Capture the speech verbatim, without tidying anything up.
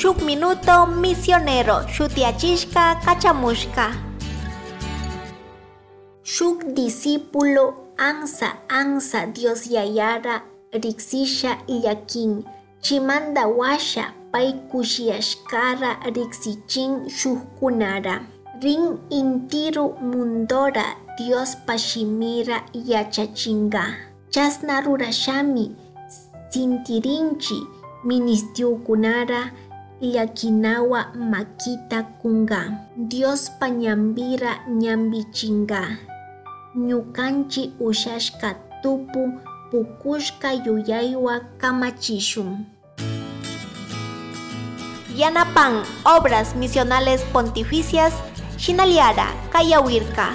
Shuk Minuto Misionero shutiyachishka kachamushka. Shuk discípulo ansa ansa Dios Yayara riksisha llakin, chimanda washa pay kushiyashkara riksichin shukkunara. Rin intiru mundora Diospa shimira yachachinga. Chasna rurashami sintirinchi ministiukunara llakinawa makita kunga. Diospa ñambira ñambichinga. Ñukanchi ushashka tupu pukushka yuyaywa kamachishun. Yanapan Obras Misionales Pontificias, Shinaliara, Kayawirka.